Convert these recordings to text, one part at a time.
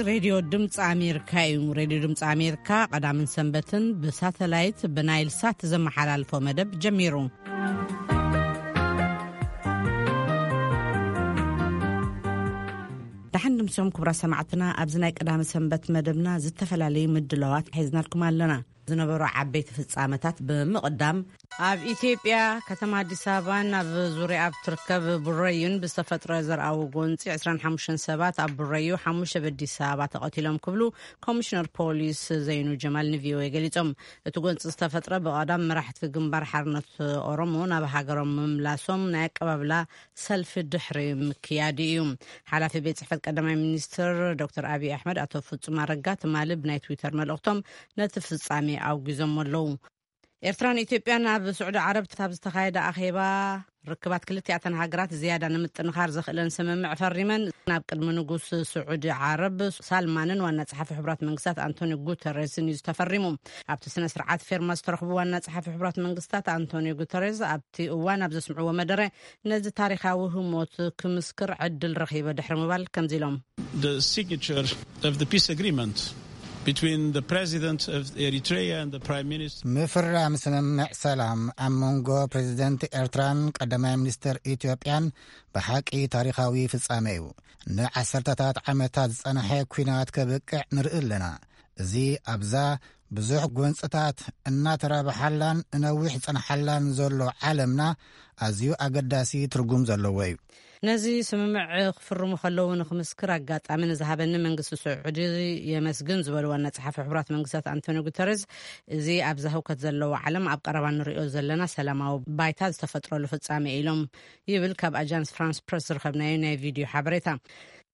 ሬድዮ ድምፂ ኣሜሪካ እዩ። ሬድዮ ድምፂ ኣሜሪካ ቀዳምን ሰንበትን ብሳተላይት ብናይል ሳት ዘመሓላልፎ መደብ ጀሚሩ። ደሓን ድምሶም ክቡራ ሰማዕትና፣ ኣብዚ ናይ ቀዳሚ ሰንበት መደብና ዝተፈላለዩ ምድላዋት ሒዝናልኩም ኣለና። ዝነበሩ ዓበይቲ ፍጻመታት ብምቕዳም፣ ኣብ ኢትዮጵያ ከተማ ኣዲስ ኣበባን ኣብ ዙሪያ ኣብ ትርከብ ቡረዩን ብዝተፈጥረ ዘርኣዊ ጎንፂ ዕስራን ሓሙሽተን ሰባት ኣብ ቡረዩ፣ ሓሙሽተ ኣብ ኣዲስ ኣበባ ተቐቲሎም ክብሉ ኮሚሽነር ፖሊስ ዘይኑ ጀማል ንቪኦኤ ገሊጾም። እቲ ጎንፂ ዝተፈጥረ ብቐዳም መራሕቲ ግንባር ሓርነት ኦሮሞ ናብ ሃገሮም ምምላሶም ናይ ኣቀባብላ ሰልፊ ድሕሪ ምክያዱ እዩ። ሓላፊ ቤት ጽሕፈት ቀዳማይ ሚኒስትር ዶክተር ኣብይ ኣሕመድ ኣቶ ፍጹም ኣረጋ ትማሊ ብናይ ትዊተር መልእኽቶም ነቲ ፍጻሜ ኣውጊዞም ኣለዉ። ኤርትራን ኢትዮጵያን ኣብ ስዑዲ ዓረብ ኣብ ዝተኻየደ ኣኼባ ርክባት ክልቲኣተን ሃገራት ዝያዳ ንምጥንኻር ዘኽእለን ስምምዕ ፈሪመን፣ ናብ ቅድሚ ንጉስ ስዑዲ ዓረብ ሳልማንን ዋና ጸሓፊ ሕቡራት መንግስታት ኣንቶኒ ጉተሬስን እዩ ዝተፈሪሙ። ኣብቲ ስነ ስርዓት ፌርማ ዝተረኽቡ ዋና ጸሓፊ ሕቡራት መንግስታት ኣንቶኒ ጉተሬስ ኣብቲ እዋን ኣብ ዘስምዕዎ መደረ፣ ነዚ ታሪኻዊ ህሞት ክምስክር ዕድል ረኺበ ድሕሪ ምባል ከምዚ ኢሎም። The signature of the peace agreement between the president of Eritrea and the prime minister. ምፍራም ስምምዕ ሰላም ኣብ መንጎ ፕሬዚደንት ኤርትራን ቀዳማይ ሚኒስትር ኢትዮጵያን ብሓቂ ታሪኻዊ ፍጻሜ እዩ። ንዓሰርተታት ዓመታት ዝጸንሐ ኲናት ከብቅዕ ንርኢ ኣለና። እዚ ኣብዛ ብዙሕ ጎንጽታት እናተራብሓላን ንነዊሕ ዝጸንሓላን ዘሎ ዓለምና ኣዝዩ ኣገዳሲ ትርጉም ዘለዎ እዩ። ነዚ ስምምዕ ክፍርሙ ከለዉ ንክምስክር ኣጋጣሚ ንዝሃበኒ መንግስቲ ስዑዲ የመስግን ዝበሉ ዋና ጸሓፊ ሕቡራት መንግስታት ኣንቶኒ ጉተረዝ፣ እዚ ኣብዛ ህውከት ዘለዎ ዓለም ኣብ ቀረባ ንሪኦ ዘለና ሰላማዊ ባይታ ዝተፈጥረሉ ፍጻሜ ኢሎም ይብል ካብ ኣጃንስ ፍራንስ ፕረስ ዝረኸብናዮ ናይ ቪድዮ ሓበሬታ።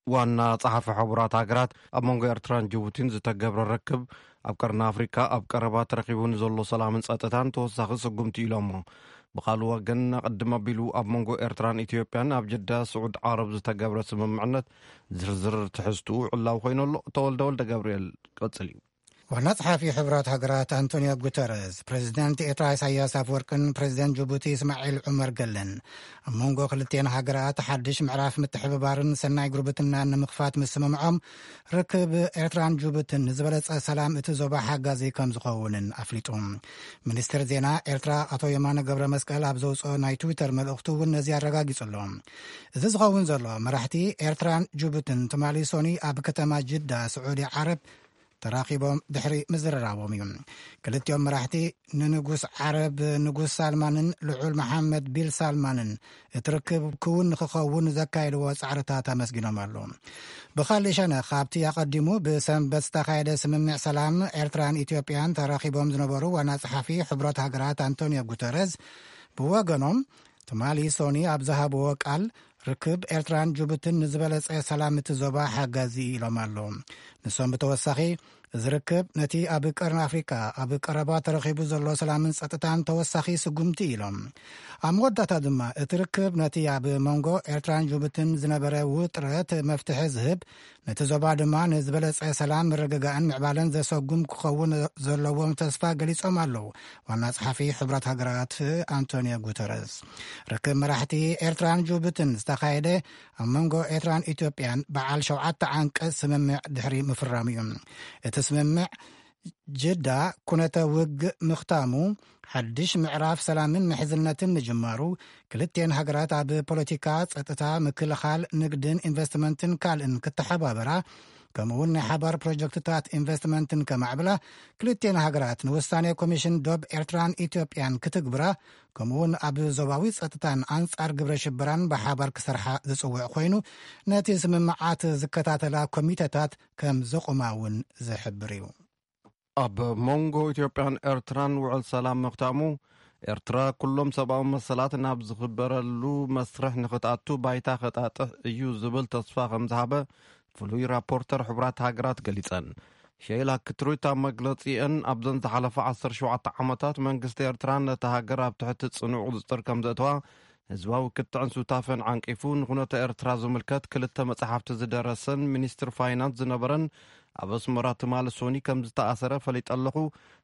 ዋና ጸሓፊ ሕቡራት ሃገራት ኣብ መንጎ ኤርትራን ጅቡቲን ዝተገብረ ርክብ ኣብ ቀርኒ ኣፍሪካ ኣብ ቀረባ ተረኺቡ ንዘሎ ሰላምን ጸጥታን ተወሳኺ ስጉምቲ ኢሎሞ። ብኻልእ ወገን፣ ቅድም ኣቢሉ ኣብ መንጎ ኤርትራን ኢትዮጵያን ኣብ ጀዳ ስዑድ ዓረብ ዝተገብረ ስምምዕነት ዝርዝር ትሕዝትኡ ዕላዊ ኮይኑ ኣሎ። ተወልደ ወልደ ገብርኤል ቀጽል እዩ። ዋና ጸሓፊ ሕቡራት ሃገራት ኣንቶኒዮ ጉተረዝ፣ ፕሬዚደንት ኤርትራ ኢሳያስ ኣፈወርቅን ፕሬዚደንት ጅቡቲ እስማዒል ዑመር ገለን ኣብ መንጎ ክልቲኤን ሃገራት ሓድሽ ምዕራፍ ምትሕብባርን ሰናይ ጉርብትናን ንምኽፋት ምስምምዖም፣ ርክብ ኤርትራን ጅቡትን ንዝበለጸ ሰላም እቲ ዞባ ሓጋዚ ከም ዝኸውንን ኣፍሊጡ። ሚኒስትር ዜና ኤርትራ ኣቶ የማነ ገብረ መስቀል ኣብ ዘውፅኦ ናይ ትዊተር መልእኽቱ እውን ነዚ ኣረጋጊጹ ኣሎ። እዚ ዝኸውን ዘሎ መራሕቲ ኤርትራን ጅቡትን ትማሊ ሶኒ ኣብ ከተማ ጅዳ ስዑዲ ዓረብ ተራኺቦም ድሕሪ ምዝርራቦም እዩ። ክልቲኦም መራሕቲ ንንጉስ ዓረብ ንጉስ ሳልማንን ልዑል መሓመድ ቢል ሳልማንን እቲ ርክብ ክውን ንክኸውን ዘካየድዎ ጻዕርታት ኣመስጊኖም ኣለዉ። ብኻልእ ሸነኽ፣ ካብቲ ኣቐዲሙ ብሰንበት ዝተኻየደ ስምምዕ ሰላም ኤርትራን ኢትዮጵያን ተራኺቦም ዝነበሩ ዋና ጸሓፊ ሕቡራት ሃገራት ኣንቶኒዮ ጉተረዝ ብወገኖም፣ ትማሊ ሶኒ ኣብ ዝሃብዎ ቃል፣ ርክብ ኤርትራን ጅቡትን ንዝበለጸ ሰላም እቲ ዞባ ሓጋዚ ኢሎም ኣለዉ። ንሶም ብተወሳኺ፣ እዚ ርክብ ነቲ ኣብ ቀርኒ ኣፍሪቃ ኣብ ቀረባ ተረኺቡ ዘሎ ሰላምን ጸጥታን ተወሳኺ ስጉምቲ ኢሎም። ኣብ መወዳእታ ድማ፣ እቲ ርክብ ነቲ ኣብ መንጎ ኤርትራን ጅቡትን ዝነበረ ውጥረት መፍትሒ ዝህብ፣ ነቲ ዞባ ድማ ንዝበለጸ ሰላም፣ ምርግጋእን ምዕባለን ዘሰጉም ክኸውን ዘለዎም ተስፋ ገሊጾም ኣለዉ። ዋና ጸሓፊ ሕቡራት ሃገራት ኣንቶኒዮ ጉተረዝ፣ ርክብ መራሕቲ ኤርትራን ጅቡትን ዝተኻየደ ኣብ መንጎ ኤርትራን ኢትዮጵያን በዓል ሸውዓተ ዓንቀጽ ስምምዕ ድሕሪ ምፍራሙ እዩ። እቲ ስምምዕ ጅዳ ኩነተ ውግእ ምኽታሙ፣ ሓድሽ ምዕራፍ ሰላምን ምሕዝነትን ምጅማሩ፣ ክልቲኤን ሃገራት ኣብ ፖለቲካ፣ ጸጥታ፣ ምክልኻል፣ ንግድን ኢንቨስትመንትን ካልእን ክተሓባበራ፣ ከምኡውን ናይ ሓባር ፕሮጀክትታት ኢንቨስትመንትን ከማዕብላ፣ ክልቲኤን ሃገራት ንውሳኔ ኮሚሽን ዶብ ኤርትራን ኢትዮጵያን ክትግብራ፣ ከምኡውን ኣብ ዞባዊ ጸጥታን ኣንጻር ግብረ ሽበራን ብሓባር ክሰርሓ ዝጽውዕ ኮይኑ፣ ነቲ ስምምዓት ዝከታተላ ኮሚተታት ከም ዘቑማ እውን ዝሕብር እዩ። ኣብ መንጎ ኢትዮጵያን ኤርትራን ውዕል ሰላም ምኽታሙ፣ ኤርትራ ኩሎም ሰብኣዊ መሰላት ናብ ዝኽበረሉ መስርሕ ንኽትኣቱ ባይታ ከጣጥሕ እዩ ዝብል ተስፋ ከም ዝሃበ ፍሉይ ራፖርተር ሕቡራት ሃገራት ገሊጸን። ሼላ ክትሩት ኣብ መግለጺአን፣ ኣብዘን ዝሓለፋ ዓሰርተ ሸውዓተ ዓመታት መንግስቲ ኤርትራ ነታ ሃገር ኣብ ትሕቲ ጽኑዕ ቁጽጽር ከም ዘእተዋ፣ ህዝባዊ ክትዕን ሱታፌን ዓንቂፉ፣ ንኹነተ ኤርትራ ዝምልከት ክልተ መጽሓፍቲ ዝደረሰን ሚኒስትር ፋይናንስ ዝነበረን ኣብ ኣስመራ ትማሊ ሶኒ ከም ዝተኣሰረ ፈሊጠ ኣለኹ።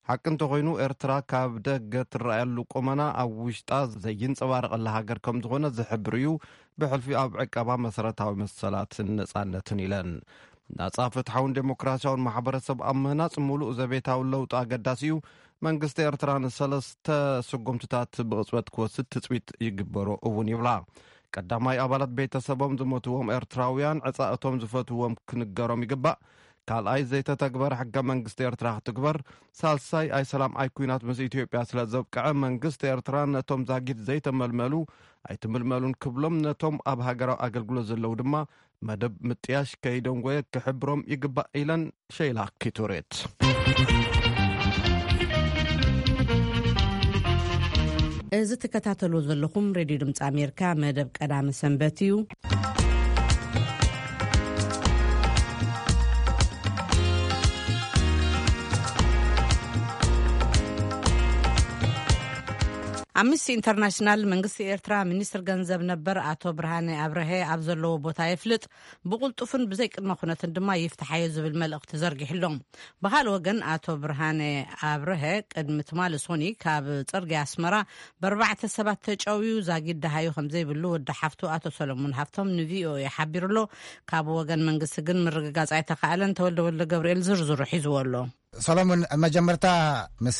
ሓቂ እንተኾይኑ፣ ኤርትራ ካብ ደገ ትረኣየሉ ቁመና ኣብ ውሽጣ ዘይንጸባረቐላ ሃገር ከም ዝኾነ ዝሕብር እዩ፣ ብሕልፊ ኣብ ዕቀባ መሰረታዊ መሰላትን ነጻነትን ኢለን። ናጻ፣ ፍትሓውን ዴሞክራሲያውን ማሕበረሰብ ኣብ ምህናጽ ምሉእ ዘቤታዊ ለውጢ ኣገዳሲ እዩ። መንግስቲ ኤርትራ ንሰለስተ ስጉምትታት ብቕጽበት ክወስድ ትጽቢት ይግበሮ እውን ይብላ። ቀዳማይ፣ ኣባላት ቤተሰቦም ዝሞትዎም ኤርትራውያን ዕጻ እቶም ዝፈትዎም ክንገሮም ይግባእ። ካልኣይ፣ ዘይተተግበረ ሕገ መንግስቲ ኤርትራ ክትግበር። ሳልሳይ፣ ኣይ ሰላም ኣይ ኩናት ምስ ኢትዮጵያ ስለ ዘብቅዐ መንግስቲ ኤርትራ ነቶም ዛጊድ ዘይተመልመሉ ኣይትምልመሉን ክብሎም፣ ነቶም ኣብ ሃገራዊ ኣገልግሎት ዘለዉ ድማ መደብ ምጥያሽ ከይደንጎየ ክሕብሮም ይግባእ ኢለን ሸይላ ኪቱሬት። እዚ ትከታተሉ ዘለኹም ሬድዮ ድምፂ ኣሜሪካ መደብ ቀዳሚ ሰንበት እዩ። ኣምነስቲ ኢንተርናሽናል መንግስቲ ኤርትራ ሚኒስትር ገንዘብ ነበር ኣቶ ብርሃነ ኣብርሀ ኣብ ዘለዎ ቦታ የፍልጥ፣ ብቕልጡፍን ብዘይ ቅድመ ኩነትን ድማ ይፍትሓዮ ዝብል መልእኽቲ ዘርጊሕሎም። ብኻልእ ወገን ኣቶ ብርሃነ ኣብርሀ ቅድሚ ትማሊ ሶኒ ካብ ጽርግያ ኣስመራ ብኣርባዕተ ሰባት ተጨውዩ ዛጊድ ደሃዩ ከም ዘይብሉ ወዲ ሓፍቱ ኣቶ ሰለሙን ሃፍቶም ንቪኦኤ ሓቢሩ ኣሎ። ካብ ወገን መንግስቲ ግን ምርግጋጽ ኣይተኻእለን። ተወልደ ወልደ ገብርኤል ዝርዝሩ ሒዝዎ ኣሎ። ሰሎሙን፣ መጀመርታ ምስ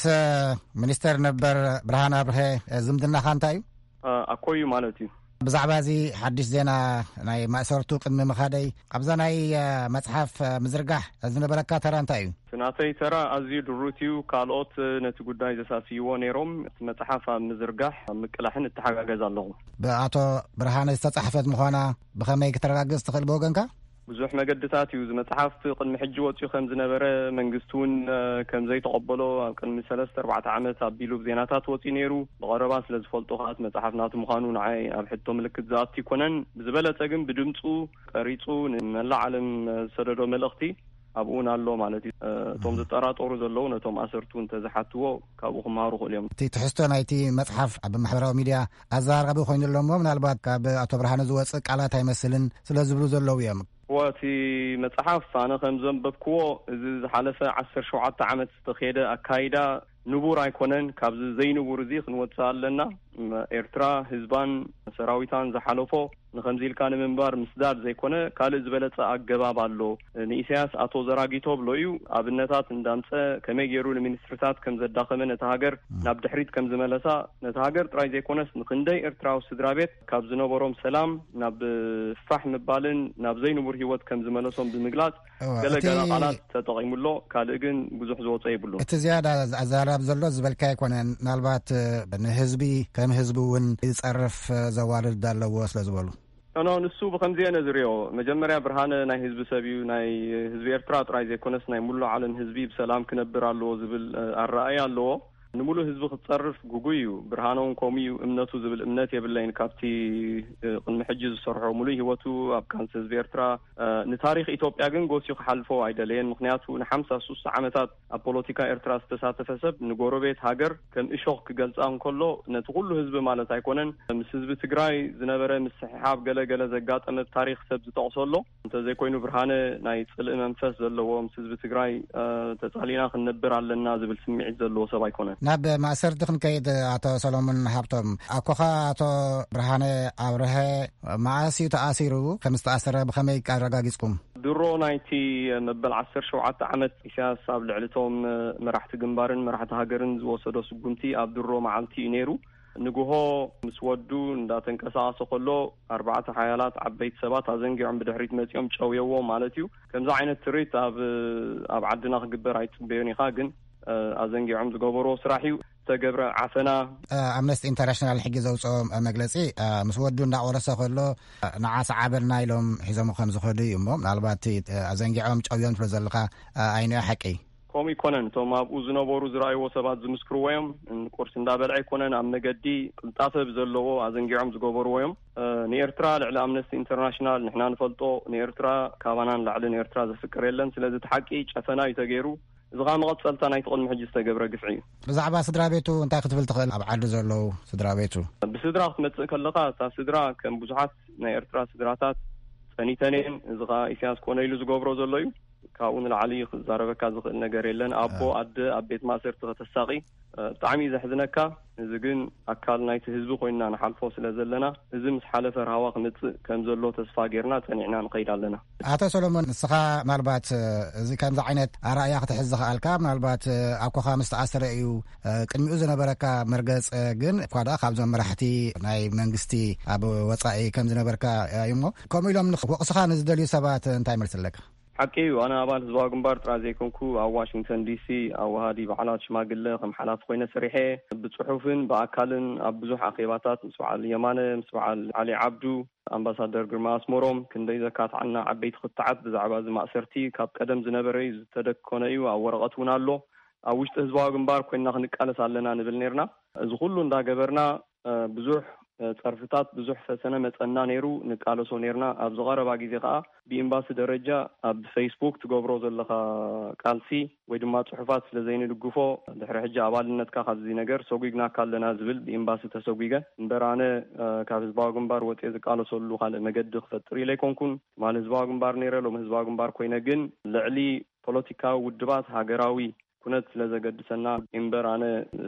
ሚኒስተር ነበር ብርሃን ኣብርሀ ዝምድናኻ እንታይ እዩ? ኣኮዩ ማለት እዩ። ብዛዕባ እዚ ሓድሽ ዜና ናይ ማእሰርቱ ቅድሚ ምኻደይ፣ ኣብዛ ናይ መጽሓፍ ምዝርጋሕ ዝነበረካ ተራ እንታይ እዩ? እቲ ናተይ ተራ ኣዝዩ ድሩት እዩ። ካልኦት ነቲ ጉዳይ ዘሳስይዎ ነይሮም። እቲ መጽሓፍ ኣብ ምዝርጋሕ ኣብ ምቅላሕን እተሓጋገዝ ኣለኹ። ብኣቶ ብርሃነ ዝተጻሕፈት ምዃና ብኸመይ ክተረጋግጽ ትኽእል ብወገንካ? ብዙሕ መገድታት እዩ። እዚ መጽሓፍ ቅድሚ ሕጂ ወጺኡ ከም ዝነበረ፣ መንግስቲ እውን ከም ዘይተቐበሎ ኣብ ቅድሚ ሰለስተ ኣርባዕተ ዓመት ኣቢሉ ብዜናታት ወጺኡ ነይሩ። ብቐረባ ስለ ዝፈልጦ ከኣ እቲ መጽሓፍ ናቱ ምዃኑ ንዓይ ኣብ ሕቶ ምልክት ዝኣቱ ኣይኮነን። ብዝበለጸ ግን ብድምጹ ቀሪጹ ንመላእ ዓለም ዝሰደዶ መልእኽቲ ኣብኡ እውን ኣሎ ማለት እዩ። እቶም ዝጠራጠሩ ዘለዉ ነቶም ኣሰርቱ እንተዝሓትዎ ካብኡ ክመሃሩ ይኽእሉ እዮም። እቲ ትሕዝቶ ናይቲ መጽሓፍ ኣብ ማሕበራዊ ሚድያ ኣዘራራቢ ኮይኑ ኣሎ እሞ፣ ምናልባት ካብ ኣቶ ብርሃነ ዝወጽእ ቃላት ኣይመስልን ስለ ዝብሉ ዘለዉ እዮም። እወ፣ እቲ መጽሓፍ ኣነ ከም ዘንበብክዎ፣ እዚ ዝሓለፈ ዓሰርተ ሸውዓተ ዓመት ዝተኸየደ ኣካይዳ ንቡር ኣይኮነን። ካብዚ ዘይንቡር እዚ ክንወጽእ ኣለና። ም-፣ ኤርትራ ህዝባን ሰራዊታን ዝሓለፎ ንኸምዚ ኢልካ ንምንባር ምስዳድ ዘይኮነ፣ ካልእ ዝበለጸ ኣገባብ ኣሎ። ንኢሳያስ ኣቶ ዘራጊቶ ብሎ እዩ። ኣብነታት እንዳምጸ ከመይ ገይሩ ንሚኒስትርታት ከም ዘዳኸመ፣ ነታ ሃገር ም። ናብ ድሕሪት ከም ዝመለሳ፣ ነታ ሃገር ጥራይ ዘይኮነስ ንክንደይ ኤርትራዊ ስድራ ቤት ካብ ዝነበሮም ሰላም ናብ ፋሕ ምባልን ናብ ዘይንቡር ህይወት ከም ዝመለሶም ብምግላጽ እወ፣ ገለ እቲ ገለ ቃላት ተጠቒሙሎ፣ ካልእ ግን ብዙሕ ዝወጾ የብሉን። እቲ ዝያዳ ኣዘራርብ ዘሎ ዝበልካ ኣይኮነን። ምናልባት ንህዝቢ ከም ህዝቢ እውን ዝጸርፍ ዘዋርድ ኣለዎ ስለ ዝበሉ። ኖ፣ ኖ፣ ንሱ ብኸምዚ እየ ነዝርዮ። መጀመርያ ብርሃነ ናይ ህዝቢ ሰብ እዩ። ናይ ህዝቢ ኤርትራ ጥራይ ዘይኮነስ ናይ ሙሉእ ዓለም ህዝቢ ብሰላም ክነብር ኣለዎ ዝብል፣ እ፣ ኣረኣእያ ኣለዎ። ንምሉእ ህዝቢ ክጸርፍ ግጉይ እዩ። ብርሃነ እውን ከምኡ እዩ እምነቱ ዝብል እምነት የብለይን። ካብቲ፣ እ፣ ቅድሚ ሕጂ ዝሰርሖ ሙሉእ ህይወቱ ኣብ ቃልሲ ህዝቢ ኤርትራ፣ እ፣ ንታሪኽ ኢትዮጵያ ግን ጎስዩ ክሓልፎ ኣይደለየን። ምኽንያቱ ንሓምሳ ሱሳ ዓመታት ኣብ ፖለቲካ ኤርትራ ዝተሳተፈ ሰብ ንጎረቤት ሃገር ከም እሾኽ ክገልጻ እንከሎ፣ ነቲ ኩሉ ህዝቢ ማለት ኣይኮነን። ምስ ህዝቢ ትግራይ ዝነበረ ምስሕሓብ ገለ ገለ ዘጋጠመ ብታሪኽ ሰብ ዝጠቕሶ ኣሎ። እንተዘይኮይኑ ብርሃነ ናይ ጽልኢ መንፈስ ዘለዎ፣ ምስ ህዝቢ ትግራይ፣ እ፣ ተጻሊእና ክንነብር ኣለና ዝብል ስምዒት ዘለዎ ሰብ ኣይኮነን። ናብ ማእሰርቲ ክንከይድ፣ ኣቶ ሰሎሞን ሃብቶም፣ ኣኮኻ ኣቶ ብርሃነ ኣብርሀ መኣስ እዩ ተኣሲሩ? ከም ዝተኣሰረ ብኸመይ ኣረጋጊጽኩም? ድሮ ናይቲ መበል ዓሰርተ ሸውዓተ ዓመት ኢሳያስ ኣብ ልዕሊ እቶም መራሕቲ ግንባርን መራሕቲ ሃገርን ዝወሰዶ ስጉምቲ ኣብ ድሮ መዓልቲ እዩ ነይሩ። ንግሆ ምስ ወዱ እንዳተንቀሳቐሰ ከሎ፣ ኣርባዕተ ሓያላት ዓበይቲ ሰባት ኣዘንጊዖም ብድሕሪት መጺኦም ጨውየዎ ማለት እዩ። ከምዚ ዓይነት ትርኢት ኣብ፣ ኣብ ዓድና ክግበር ኣይትጽበዮን ኢኻ፣ ግን፣ እ፣ ኣዘንጊዖም ዝገበርዎ ስራሕ እዩ። ዝተገብረ ዓፈና። እ፣ ኣምነስቲ ኢንተርናሽናል ሕጂ ዘውፅኦ መግለፂ፣ እ፣ ምስ ወዱ እንዳቆረሰ ከሎ፣ እ፣ ንዓ ሰዓበልና ኢሎም ሒዞም ከም ዝኸዱ እዩ እሞ፣ ምናልባት እቲ፣ እ፣ ኣዘንጊዖም ጨውዮም ትብሎ ዘለኻ፣ እ፣ ኣይንዮ ሓቂ? ከምኡ ይኮነን። እቶም ኣብኡ ዝነበሩ ዝረኣይዎ ሰባት ዝምስክርዎ እዮም። ቁርሲ እንዳበልዐ ኣይኮነን፣ ኣብ መገዲ ቅልጣፈ ብዘለዎ ኣዘንጊዖም ዝገበርዎ እዮም። እ፣ ንኤርትራ ልዕሊ ኣምነስቲ ኢንተርናሽናል ንሕና ንፈልጦ፣ ንኤርትራ ካባና ንላዕሊ ንኤርትራ ዘፍቅር የለን። ስለዚ እቲ ሓቂ ጨፈና እዩ ተገይሩ። እዚ ኸኣ መቐጸልታ ናይቲ ቅድሚ ሕጂ ዝተገብረ ግፍዒ እዩ። ብዛዕባ ስድራ ቤቱ እንታይ ክትብል ትኽእል? ኣብ ዓዲ ዘለዉ ስድራ ቤቱ? ብስድራ ክትመጽእ ከለኻ፣ እታ ስድራ ከም ብዙሓት ናይ ኤርትራ ስድራታት ጸኒተን እየን። እዚ ኸኣ ኢሳያስ ኮነ ኢሉ ዝገብሮ ዘሎ እዩ። ካብኡ ንላዕሊ ክዛረበካ ዝኽእል ነገር የለን። ኣቦ ኣደ ኣብ ቤት ማእሰርቲ ከተሳቒ፣ ብጣዕሚ እዩ ዘሕዝነካ። እዚ ግን ኣካል ናይቲ ህዝቢ ኮይና ንሓልፎ ስለ ዘለና፣ እዚ ምስ ሓለፈ ራህዋ ክምጽእ ከም ዘሎ ተስፋ ጌርና ጸኒዕና ንኸይድ ኣለና። ኣቶ ሰሎሞን፣ ንስኻ ምናልባት እዚ ከምዚ ዓይነት ኣራእያ ክትሕዝ ዝኸኣልካ ምናልባት ኣኮኻ ምስ ተኣሰረ እዩ፣ ቅድሚኡ ዝነበረካ መርገጽ ግን እኳ ደኣ ካብዞም መራሕቲ ናይ መንግስቲ ኣብ ወጻኢ ከም ዝነበርካ እዩ እሞ፣ ከምኡ ኢሎም ወቕስኻ ንዝደልዩ ሰባት እንታይ መልሲ ኣለካ? ሓቂ እዩ። ኣነ ኣባል ህዝባዊ ግንባር ጥራይ ዘይኮንኩ፣ ኣብ ዋሽንግተን ዲሲ ኣዋሃዲ በዓላት ሽማግለ ከም ሓላፊ ኮይነ ሰሪሐ፣ ብጽሑፍን ብኣካልን ኣብ ብዙሕ ኣኼባታት ምስ በዓል የማነ፣ ምስ በዓል ዓሊ ዓብዱ፣ ኣምባሳደር ግርማ ኣስመሮም፣ ክንደይ ዘካትዓና ዓበይቲ ክትዓት ብዛዕባ እዚ ማእሰርቲ ካብ ቀደም ዝነበረ እዩ፣ ዝተደኮነ እዩ፣ ኣብ ወረቐት እውን ኣሎ። ኣብ ውሽጢ ህዝባዊ ግንባር ኮይንና ክንቃለስ ኣለና ንብል ነርና። እዚ ኩሉ እንዳገበርና ብዙሕ ጸርፍታት፣ ብዙሕ ፈተነ መጸና ነይሩ፣ ንቃለሶ ነርና። ኣብዚ ቀረባ ግዜ ከኣ ብኤምባሲ ደረጃ ኣብ ፌስቡክ ትገብሮ ዘለኻ ቃልሲ ወይ ድማ ጽሑፋት ስለ ዘይንድግፎ፣ ድሕሪ ሕጂ ኣባልነትካ ካብዚ ነገር ሰጒግናካ ኣለና ዝብል ብኤምባሲ ተሰጒገ። እምበር ኣነ ካብ ህዝባዊ ግንባር ወጽየ ዝቃለሰሉ ካልእ መገዲ ክፈጥር ኢለ ኣይኮንኩን። ትማሊ ህዝባዊ ግንባር ነይረ፣ ሎሚ ህዝባዊ ግንባር ኮይነ፣ ግን ልዕሊ ፖለቲካዊ ውድባት ሃገራዊ ኩነት ስለ ዘገድሰና እምበር፣ ኣነ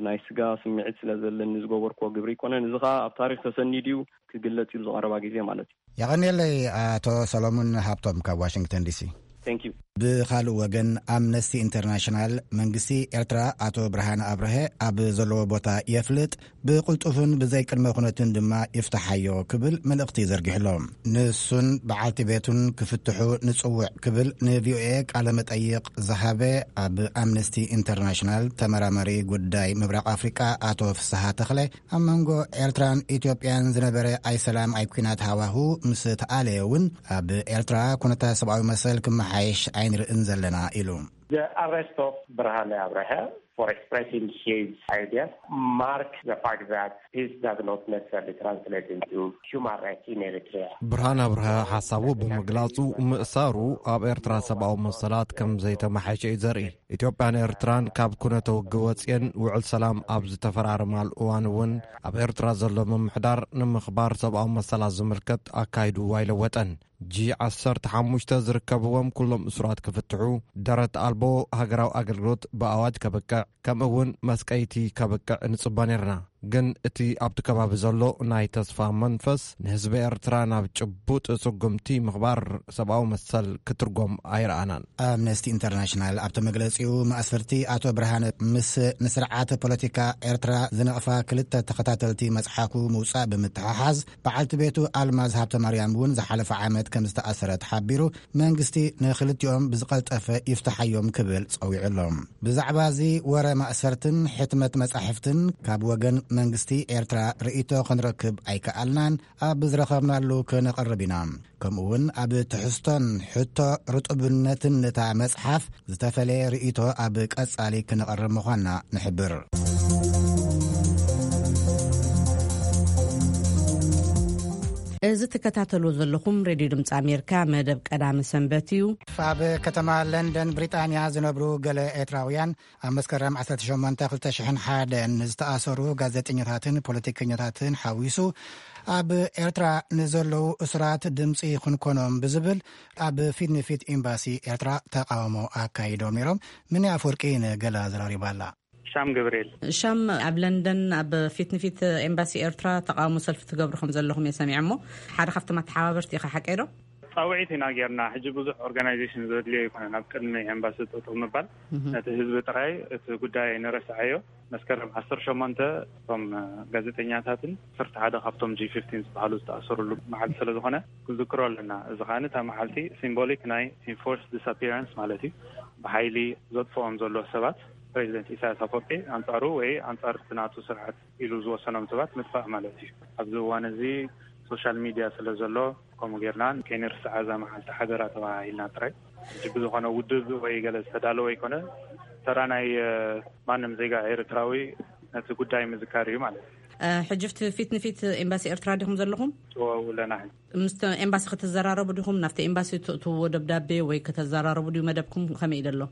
ናይ ስጋ ስምዒት ስለ ዘለኒ ዝገበርክዎ ግብሪ ኣይኮነን። እዚ ኸኣ ኣብ ታሪኽ ተሰኒዱ እዩ፣ ክግለጽ እዩ፣ ዝቐረባ ግዜ ማለት እዩ። የቐንየለይ ኣቶ ሰሎሙን ሃብቶም ካብ ዋሽንግተን ዲሲ። Thank you። ብኻልእ ወገን፣ ኣምነስቲ ኢንተርናሽናል መንግስቲ ኤርትራ ኣቶ ብርሃነ ኣብርሀ ኣብ ዘለዎ ቦታ የፍልጥ፣ ብቕልጡፍን ብዘይ ቅድመ ኩነትን ድማ ይፍትሓዮ ክብል መልእኽቲ ዘርጊሕሎ። ንሱን በዓልቲ ቤቱን ክፍትሑ ንጽውዕ ክብል ንቪኦኤ ቃለ መጠይቕ ዝሃበ ኣብ ኣምነስቲ ኢንተርናሽናል ተመራማሪ ጉዳይ ምብራቕ ኣፍሪቃ ኣቶ ፍስሃ ተኽለ፣ ኣብ መንጎ ኤርትራን ኢትዮጵያን ዝነበረ ኣይሰላም ኣይኲናት ሃዋሁ ምስ ተኣለየ እውን ኣብ ኤርትራ ኩነታት ሰብኣዊ መሰል ክመሓየሽ ኣይንርእን ዘለና ኢሉ። The arrest of Brahane Abraha for expressing his idea marks the fact that peace does not necessarily translate into human rights in Eritrea. ብርሃን ኣብርሃ ሓሳቡ ብምግላጹ፣ ምእሳሩ ኣብ ኤርትራ ሰብኣዊ መሰላት ከም ዘይተመሓየሸ እዩ ዘርኢ። ኢትዮጵያን ኤርትራን ካብ ኩነተ ውግእ ወጽየን ውዕል ሰላም ኣብ ዝተፈራረማሉ እዋን እውን፣ ኣብ ኤርትራ ዘሎ ምምሕዳር ንምኽባር ሰብኣዊ መሰላት ዝምልከት ኣካይድዎ ኣይለወጠን። ጂ ዓሰርተ ሓሙሽተ ዝርከብዎም ኩሎም እሱራት ክፍትሑ፣ ደረት ኣልቦ ሃገራዊ ኣገልግሎት ብኣዋጅ ከብቅዕ፣ ከምኡ እውን መስቀይቲ ከብቅዕ ንጽበ ነርና። ግን እቲ ኣብቲ ከባቢ ዘሎ ናይ ተስፋ መንፈስ ንህዝቢ ኤርትራ ናብ ጭቡጥ ስጉምቲ ምኽባር ሰብኣዊ መሰል ክትርጎም ኣይረኣናን። ኣምነስቲ ኢንተርናሽናል ኣብቲ መግለጺኡ፣ ማእሰርቲ ኣቶ ብርሃነ ምስ ንስርዓት ፖለቲካ ኤርትራ ዝነቕፋ ክልተ ተኸታተልቲ መጽሓፉ ምውጻእ ብምትሕሓዝ፣ በዓልቲ ቤቱ ኣልማዝ ሃብተማርያም እውን ዝሓለፈ ዓመት ከም ዝተኣሰረት ሓቢሩ፣ መንግስቲ ንኽልቲኦም ብዝቐልጠፈ ይፍትሓዮም ክብል ጸዊዑ ኣሎ። ብዛዕባ እዚ ወረ ማእሰርትን ሕትመት መጻሕፍትን ካብ ወገን መንግስቲ ኤርትራ ርእይቶ ክንረክብ ኣይከኣልናን። ኣብ ዝረኸብናሉ ክነቕርብ ኢና። ከምኡ እውን ኣብ ትሕዝቶን ሕቶ ርጡብነትን ነታ መጽሓፍ ዝተፈለየ ርእይቶ ኣብ ቀጻሊ ክነቕርብ ምዃንና ንሕብር። እዚ ትከታተሉ ዘለኹም ሬድዮ ድምፂ ኣሜሪካ መደብ ቀዳሚ ሰንበት እዩ። ኣብ ከተማ ለንደን ብሪጣንያ ዝነብሩ ገለ ኤርትራውያን፣ ኣብ መስከረም ዓሰርተ ሸሞንተ ክልተ ሽሕን ሓደን ንዝተኣሰሩ ጋዜጠኛታትን ፖለቲከኛታትን ሓዊሱ፣ ኣብ ኤርትራ ንዘለዉ እሱራት ድምፂ ክንኮኖም ብዝብል ኣብ ፊት ንፊት ኤምባሲ ኤርትራ ተቃውሞ ኣካይዶም ነይሮም። ምኒ ኣፈወርቂ ንገለ ኣዘራሪባ ኣላ። ሻም ገብርኤል። ሻም፣ ኣብ ለንደን ኣብ ፊት ንፊት ኤምባሲ ኤርትራ ተቃውሞ ሰልፊ ትገብሩ ከም ዘለኹም እየ ሰሚዐ፣ እሞ ሓደ ካብቶም ኣተሓባበርቲ ኢኻ፣ ሓቀይ ዶ? ጻውዒት ኢና ጌርና። ሕጂ ብዙሕ ኦርጋናይዜሽን ዘድልዮ ኣይኮነን። ኣብ ቅድሚ ኤምባሲ ጠጠው ምባል፣ እህ። ነቲ ህዝቢ ጥራይ እቲ ጉዳይ ንረስዓዮ። መስከረም ዓሰርተ ሸሞንተ እቶም ጋዜጠኛታትን ዓሰርተ ሓደ ካብቶም ጂ ፊፍቲን ዝበሃሉ ዝተኣሰሩሉ መዓልቲ ስለ ዝኾነ፣ ክንዝክሮ ኣለና። እዚ ከኣ እታ መዓልቲ ሲምቦሊክ ናይ ኢንፎርስ ዲስኣፒራንስ ማለት እዩ። ብሓይሊ ዘጥፍኦም ዘሎ ሰባት፣ ፕሬዚደንት ኢሳያስ ኣፈወርቂ ኣንጻሩ ወይ ኣንጻር እቲ ናቱ ስርዓት ኢሉ ዝወሰኖም ሰባት ምጥፋእ ማለት እዩ። ኣብዚ እዋን እዚ ሶሻል ሚድያ ስለ ዘሎ፣ ከምኡ ጌርና ከይንርስዓ እዛ መዓልቲ ሓደራ ተባሂልና ጥራይ። ሕጂ ብዝኾነ ውድብ ወይ ገለ ዝተዳለወ ኣይኮነ፣ ተራ ናይ፣ እ፣ ማንም ዜጋ ኤርትራዊ ነቲ ጉዳይ ምዝካር እዩ ማለት እዩ። እ፣ ሕጂ ፍቲ ፊት ንፊት ኤምባሲ ኤርትራ ዲኹም ዘለኹም? እወ፣ ኣለና። ምስ ኤምባሲ ክትዘራረቡ ዲኹም? ናብቲ ኤምባሲ ትእትውዎ ደብዳቤ ወይ ከተዘራረቡ ድዩ መደብኩም? ከመይ እዩ ዘሎ?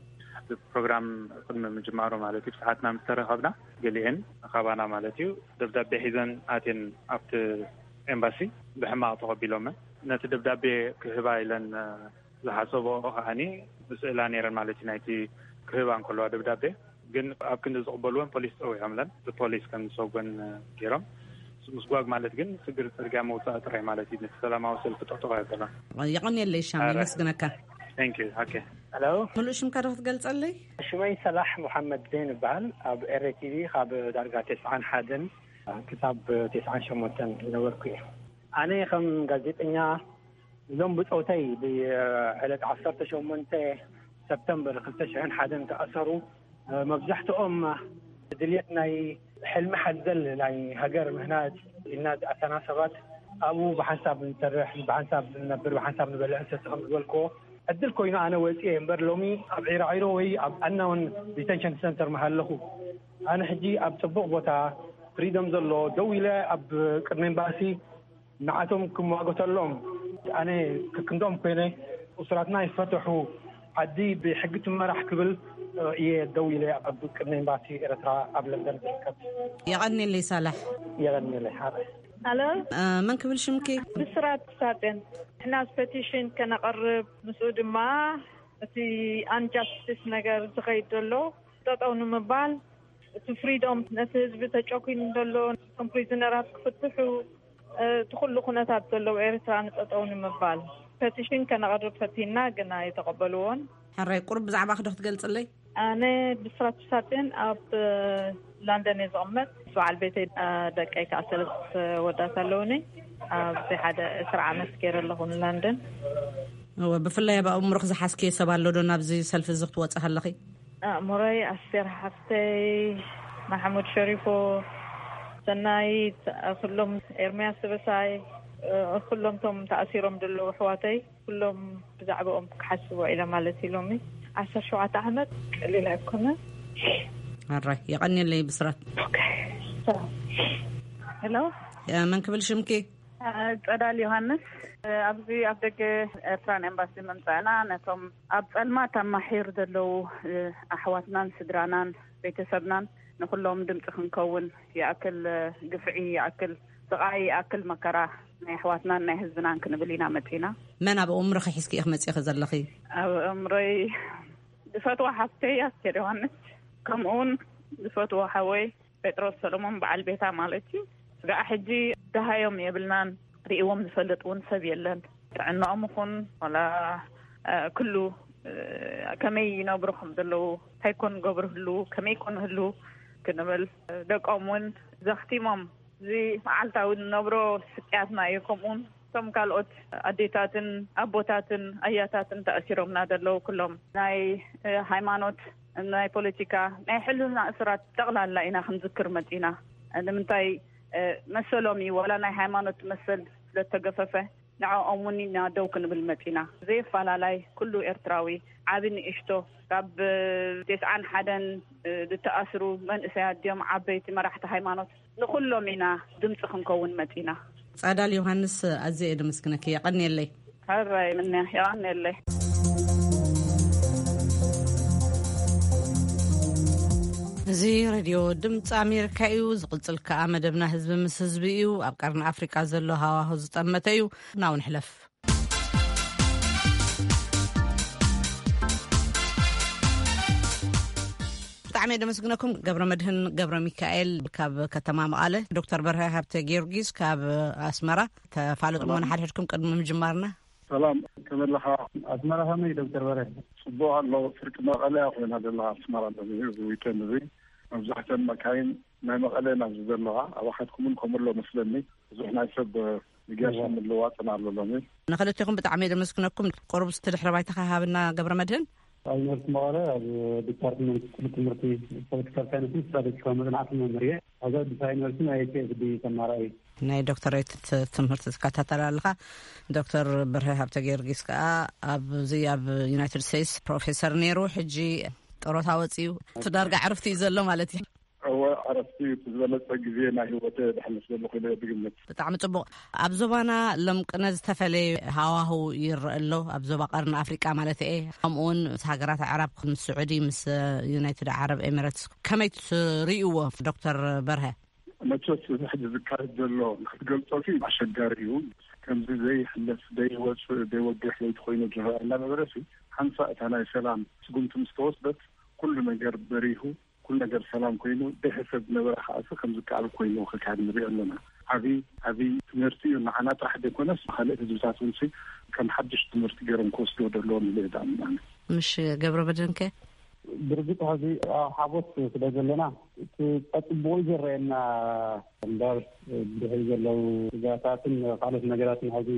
ፕሮግራም ቅድሚ ምጅማሩ ማለት እዩ፣ ሰዓትና ምስ ተረኸብና፣ ገሊኤን ካባና ማለት እዩ፣ ደብዳቤ ሒዘን ኣትየን ኣብቲ ኤምባሲ ብሕማቕ ተቐቢሎመን። ነቲ ደብዳቤ ክህባ ኢለን፣ እ፣ ዝሓሰቦ ከዓኒ ብስእላ ነይረን ማለት እዩ። ናይቲ ክህባ እንከለዋ ደብዳቤ ግን ኣብ ክንዲ ዝቕበልወን ፖሊስ ጸዊዖምለን፣ ብፖሊስ ከም ዝሰጎን ገይሮም። ምስጓግ ማለት ግን ስግር ጽርግያ መውጻእ ጥራይ ማለት እዩ። ነቲ ሰላማዊ ሰልፊ ጠጠው ኣይበለን። የቐንየለይ ሻም፣ ኣረ። የመስግነካ። Thank you። Okay። ሄሎ። ምሉእ ሽምካ ዶ ክትገልጸለይ? ሽመይ ሰላሕ መሓመድ ዜን ይበሃል። ኣብ ኤሬ ቲቪ ካብ ዳርጋ ተስዓን ሓደን ክሳብ ተስዓን ሸሞንተን ዝነበርኩ እየ። ኣነ ከም ጋዜጠኛ እዞም ብጾተይ ብዕለት ዓሰርተ ሸሞንተ ሰፕተምበር ክልተ ሽሕን ሓደን ተኣሰሩ። መብዛሕትኦም ድልየት ናይ ሕልሚ ሓዘል ናይ ሃገር ምህናጽ ኢልና ዝኣተና ሰባት ኣብኡ ብሓንሳብ ንሰርሕ፣ ብሓንሳብ ንነብር፣ ብሓንሳብ ንበልዕ ንሰቲ ከም ዝበልክዎ ዕድል ኮይኑ ኣነ ወፂኤ እምበር ሎሚ ኣብ ዒራዒሮ ወይ ኣብ ኣናውን ዲቴንሽን ሰንተር ምሃለኹ። ኣነ ሕጂ ኣብ ጽቡቕ ቦታ ፍሪደም ዘሎ ደው ኢለ ኣብ ቅድሚ ኤምባሲ ንዓቶም ክሟገተሎም ኣነ ክክንዶም ኮይነ እሱራትና ይፈተሑ ዓዲ ብሕጊ ትመራሕ ክብል እየ ደው ኢለ ኣብ ቅድሚ ኤምባሲ ኤርትራ ኣብ ለንደን ዝርከብ። የቐንየለይ ሳላሕ። የቐንየለይ ሓረ። ኣሎ። እ፣ መን ክብል ሽምኪ? ብስራት ሳጥን። ንሕና ፐቲሽን ከነቐርብ ምስኡ ድማ እቲ ኣንጃስቲስ ነገር ዝኸይድ ዘሎ ጠጠው ንምባል፣ እቲ ፍሪዶም ነቲ ህዝቢ ተጨኩኑ ዘሎ እቶም ፕሪዝነራት ክፍትሑ፣ እቲ ኩሉ ኩነታት ዘለዎ ኤርትራ ንጠጠው ንምባል ፐቲሽን ከነቕርብ ፈቲና ግን ኣይተቐበልዎን። ሕራይ ቁሩብ ብዛዕባ ክዶ ክትገልጽለይ? ኣነ ብስራት ሳጥን ኣብ ላንደን እየ ዝቕመጥ። በዓል ቤተይ፣ እ፣ ደቀይ ከዓ ሰለስተ ወዳት ኣለውኒ። ኣብዚ ሓደ ዕስራ ዓመት ገይረ ኣለኹ ንላንደን። እወ፣ ብፍላይ ኣብ ኣእምሮኽ ዝሓዝክዮ ሰብ ኣሎ ዶ ናብዚ ሰልፊ እዚ ክትወጽእ ከለኺ? ኣእምሮይ ኣስቴር ሓፍተይ፣ ማሕሙድ ሸሪፎ፣ ሰናይት፣ ኩሎም ኤርምያስ ስበሳይ፣ ኩሎም ቶም ተኣሲሮም ዘለዉ ኣሕዋተይ፣ ኩሎም ብዛዕባኦም ክሓስብ ውዒለ ማለት እዩ። ሎሚ ዓሰርተ ሸውዓተ ዓመት ቀሊል ኣይኮነን። ኣራይ፣ የቐንየለይ ብስራት። ኦኬ። ሰላም። ሄሎ። እ፣ መን ክብል ሽምኪ? ጸዳል ዮሃንስ። ኣብዚ ኣብ ደገ ኤርትራን ኤምባሲ ምምጻእና ነቶም ኣብ ጸልማት ኣብ ማሒር ዘለዉ ኣሕዋትናን ስድራናን ቤተሰብናን ንኹሎም ድምጺ ክንከውን ይኣክል፣ ግፍዒ ይኣክል፣ ስቓይ ይኣክል፣ መከራ ናይ ኣሕዋትናን ናይ ህዝብናን ክንብል ኢና መጺና። መን ኣብ ኣእምሮኺ ሒዝኪ ኢኺ መጺኺ ዘለኺ? ኣብ ኣእምሮይ ዝፈትዋ ሓፍተይ ኣስቴር ዮሃንስ፣ ከምኡውን ዝፈትዎ ሓወይ ጴጥሮስ ሰሎሞን በዓል ቤታ ማለት እዩ። ስጋዕ ሕጂ ደሃዮም የብልናን፣ ርእዎም ዝፈልጥ እውን ሰብ የለን። ጥዕናኦም ይኹን ዋላ፣ እ፣ ኩሉ፣ እ፣ ከመይ ይነብሩ ከም ዘለዉ፣ እንታይ ኮን ገብሩ ህልዉ፣ ከመይ ኮን ህልዉ ክንብል፣ ደቆም እውን ዘኽቲሞም፣ እዚ መዓልታዊ ንነብሮ ስቅያትና እዩ። ከምኡውን እቶም ካልኦት ኣዴታትን ኣቦታትን ኣያታትን ተኣሲሮምና ዘለዉ ኩሎም ናይ፣ እ፣ ሃይማኖት፣ ናይ ፖለቲካ፣ ናይ ሕልና እሱራት ጠቕላላ ኢና ክንዝክር መጺና። ንምንታይ፣ እ፣ መሰሎም እዩ፣ ዋላ ናይ ሃይማኖት መሰል ስለተገፈፈ ንዕኦም እውን ኢና ደው ክንብል መጺና። ዘየፈላላይ ኩሉ ኤርትራዊ፣ ዓቢ ንእሽቶ፣ ካብ፣ እ፣ ተስዓን ሓደን፣ እ፣ ዝተኣስሩ መንእሰያት ድዮም ዓበይቲ መራሕቲ ሃይማኖት ንኹሎም ኢና ድምፂ ክንከውን መፂና። ጸዳል ዮሃንስ፣ ኣዝየ እየ ደመስግነኪ። የቐንየለይ። ሕራይ ምንያ፣ የቐንየለይ። እዚ ሬድዮ ድምፂ ኣሜሪካ እዩ። ዝቕጽል ከኣ መደብና ህዝቢ ምስ ህዝቢ እዩ። ኣብ ቀርኒ ኣፍሪቃ ዘሎ ሃዋሁ ዝጠመተ እዩ። ናው ንሕለፍ። ብጣዕሚ የደመስግነኩም። ገብረ መድህን ገብረ ሚካኤል ካብ ከተማ መቐለ፣ ዶክተር በርሀ ሃብተ ጊዮርጊስ ካብ ኣስመራ። ተፋለጥሞ ሰላም። ንሓድሕድኩም ቅድሚ ምጅማርና። ሰላም፣ ከመይ ኣለኻ? ኣስመራ ከመይ ዶክተር በርሀ? ጽቡቕ ኣሎ። ፍርቂ መቐለ እያ ኮይና ዘላ፣ ኣስመራ ኣለኒ። እዚ ዊኬንድ እዚ መብዛሕተን መካይን ናይ መቐለ ናብ ዘለዋ ኣባሓትኩምን ከምሎ መስለኒ። ብዙሕ ናይ ሰብ ንገርሲ እዋ። ምልዋጥን ኣሎ ሎሚ። ንኽልቴኹም ብጣዕሚ የመስግነኩም። ቁሩብ እስቲ ድሕረ ባይታ ሃብና ገብረ መድህን። ኣብ ዩኒቨርሲቲ መቐለ ኣብ ዲፓርትመንት ክፍሊ ትምህርቲ ፖለቲካል ሳይንስን ስትራቴጂካዊ መጽናዕትን መምህር እየ። ኣብዚ ኣዲስ ኣበባ ዩኒቨርሲቲ ናይ ፒ ኤች ዲ ተማራኢ። ናይ ዶክተሬት ት-፣ ትምህርቲ ትከታተል ኣለኻ። ዶክተር በርሀ ሃብተ ጊዮርጊስ ከኣ ኣብዚ ኣብ ዩናይትድ ስቴትስ ፕሮፌሰር ነይሩ፣ ሕጂ ጡረታ ወጺኡ እቲ ዳርጋ ዕርፍቲ እዩ ዘሎ ማለት እዩ። እወ፣ ዕረፍቲ እዩ። እቲ ዝበለጸ ግዜ ናይ ህይወተ ዘሕልፍ ዘለኹ ኢለ እየ ዝግምት። ብጣዕሚ ጽቡቕ። ኣብ ዞባና ሎም ቅነ ዝተፈለየ ሃዋህው ይረአ ኣሎ፣ ኣብ ዞባ ቀርኒ ኣፍሪቃ ማለት እየ። ከምኡውን ምስ ሃገራት ኣዕራብ፣ ምስ ስዑዲ፣ ምስ ዩናይትድ ዓረብ ኤሚሬትስ ከመይ ትርእይዎ ዶክተር በርሀ? መቸስ እዚ ሕጂ ዝካየድ ዘሎ ክትገልጾ ሲ ኣሸጋሪ እዩ። ከምዚ ዘይሕለፍ፣ ዘይወጽእ፣ ዘይወግሕ ለይቲ ኮይኑ ዝረአ እናነበረ ሲ ሓንሳ እታ ናይ ሰላም ስጉምቲ ምስ ተወስደት ኩሉ ነገር በሪሁ፣ ኩሉ ነገር ሰላም ኮይኑ፣ ደሕሰብ ዝነበረ ከኣሲ ከም ዝከኣል ኮይኑ ክካየድ ንሪኦ ኣለና። ዓብዪ ዓብዪ ትምህርቲ እዩ፣ ንዓና ጥራሕ ዘይኮነስ ካልእ ህዝብታት እውን ሲ ከም ሓድሽ ትምህርቲ ገይሮም ክወስዶ ዘለዎም ኢለ እየ ዝኣምን። ምሽ ገብረ በደንከ? ብርግጥ ሕዚ ኣብ ሓጎስ ስለ ዘለና እቲ ጸጽብቑ ዝረአየና እምበር፣ ብድሕሪ ዘለዉ ስጋታትን ካልኦት ነገራትን ሕዚ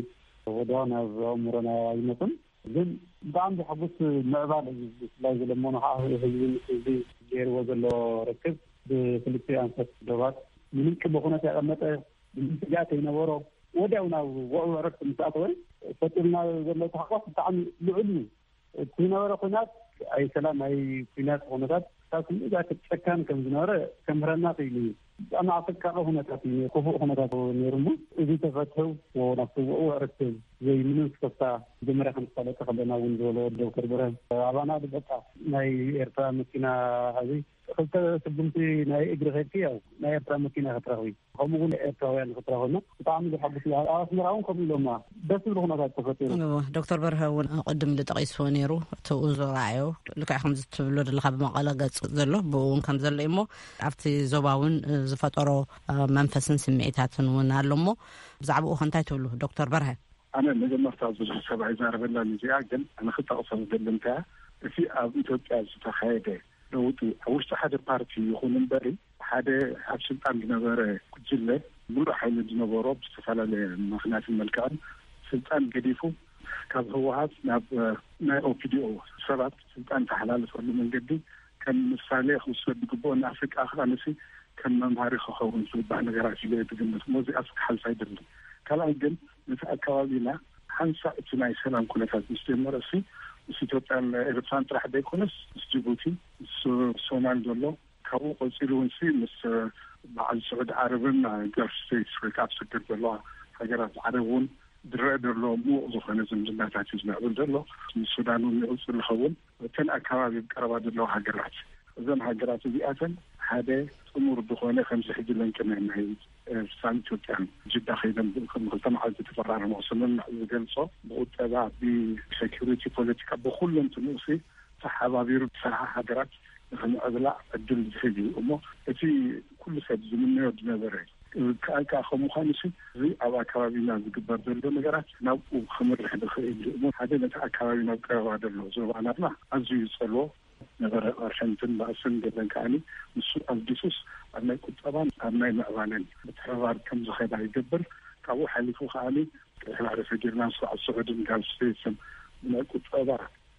ወዲያው ናብ ኣእምሮና ኣይመጹን። ግን ብጣዕሚ ዘሐጉስ ምዕባል እዩ። ብፍላይ ዝለመኑ ከዓ ህዝቢ ምስ ህዝቢ ገይርዎ ዘሎ ርክብ ብክልቲኡ ኣንፈት ዶባት ምንም ቅድመ ኩነት ያቀመጠ፣ ምንም ስግኣት ይነበሮ፣ ወዲያው ናብ ውዕውዕ ዕረፍቲ ምስ ኣተወ ፈጢርና ዘሎ ተሓጓስ ብጣዕሚ ልዑል እዩ። እቲ ዝነበረ ኩናት ኣይ ሰላም ኣይ ኩናት ኩነታት ካብ ክንድዚኣ ጨካን ከም ዝነበረ ከምህረና ክኢሉ እዩ። ብጣዕሚ ኣሰቃቂ ኩነታት እዩ፣ ክፉእ ኩነታት ነይሩ እሞ እዚ ተፈትሑ ናብቲ ውዕውዕ ርክብ ዘይምንም ስክፍታ መጀመርያ ከም ዝፈለጠ ከለና እውን ዝበሎ ዶክተር ብርሃን ኣባና በቃ ናይ ኤርትራ መኪና ሕዚ ክልተ ስጉምቲ ናይ እግሪ ከድኪ ያው ናይ ኤርትራ መኪና ክትረኽቢ ከምኡ እውን ኤርትራውያን ክትረኽብና ብጣዕሚ ዘሓጉስ እዩ። ኣብ ኣስመራ እውን ከምኡ ኢሎማ ደስ ዝብል ኩነታት ተፈጢሩ። እዎ፣ ዶክተር በርሀ እውን ቅድም ኢሉ ጠቒስዎ ነይሩ። እቲ ኡዞ ረኣዮ ልክዕ ከምዚ ትብሎ ዘለኻ ብመቐለ ገጽ ዘሎ ብኡ እውን ከም ዘሎ እዩ እሞ ኣብቲ ዞባ እውን ዝፈጠሮ መንፈስን ስምዒታትን እውን ኣሎ እሞ ብዛዕባኡ ከ እንታይ ትብሉ ዶክተር በርሀ? ኣነ መጀመርታ ብዙሕ ሰብ ኣይዛረበላን እዚኣ፣ ግን ኣነ ክጠቕሳ ዝደሊ እንታይ እቲ ኣብ ኢትዮጵያ ዝተኻየደ ለውጢ ኣብ ውሽጢ ሓደ ፓርቲ ይኹን እምበሪ ሓደ ኣብ ስልጣን ዝነበረ ጉጅለ ሙሉእ ሓይሊ ዝነበሮ ብዝተፈላለየ ምኽንያትን መልክዕን ስልጣን ገዲፉ ካብ ህወሓት ናብ ናይ ኦፒዲኦ ሰባት ስልጣን ተሓላልፈሉ መንገዲ ከም ምሳሌ ክውሰድ ዝግብኦ ንኣፍሪቃ ከኣ ንሲ ከም መምሃሪ ክኸውን ዝግባእ ነገራት ኢለ ዝግምት እሞ እዚኣ ክሓልፍ ኣይደልን። ካልኣይ ግን ነቲ ኣካባቢና ሓንሳእ እቲ ናይ ሰላም ኩነታት ምስ ጀመረ እሲ ምስ ኢትዮጵያን ኤርትራን ጥራሕ ዘይኮነስ ምስ ጅቡቲ ምስ ሶማል ዘሎ ካብኡ ቀፂሉ እውን ሲ ምስ በዓል ስዑድ ዓረብን ጋልፍ ስቴትስ ወይ ከዓ ኣብ ሰገር ዘለዋ ሃገራት ዓረብ እውን ዝረአ ዘሎ ምዉቕ ዝኾነ ዝምድናታት እዩ ዝምዕብል ዘሎ። ምስ ሱዳን እውን ይቕፅል ዝኸውን እተን ኣካባቢ ቀረባ ዘለዋ ሃገራት እዘን ሃገራት እዚኣተን ሓደ ጥሙር ዝኾነ ከምዚ ሕጂ ለንቅነ ናይ ኤርትራን ኢትዮጵያን ጅዳ ከይደም ከም ክልተ መዓልቲ ተፈራረሞ ስምምዕ ዝገልጾ ብቁጠባ ብሴኪሪቲ ፖለቲካ ብኩሎም ትንኡሲ ተሓባቢሩ ዝሰርሓ ሃገራት ንክምዕብላ ዕድል ዝህብ እዩ እሞ እቲ ኩሉ ሰብ ዝምነዮ ዝነበረ ከኣልካ ከም ምዃኑ ሲ እዚ ኣብ ኣካባቢና ዝግበር ዘሎ ነገራት ናብኡ ክምርሕ ዝኽእል እዩ እሞ ሓደ ነቲ ኣካባቢ ናብ ቀረባ ዘሎ ዞባናትና ኣዝዩ ዝጸልዎ ነበረ። ኣርሸንትን ባእስን ገለን ከዓኒ ንሱ ኣልጊሱስ ኣብ ናይ ቁጠባን ኣብ ናይ ምዕባለን ምትሕብባር ከም ዝኸዳ ይገብር። ካብኡ ሓሊፉ ከዓኒ ቀይሕ ባሕሪ ሰጊርና ስዑድን ጋልፍ ስቴትስን ብናይ ቁጠባ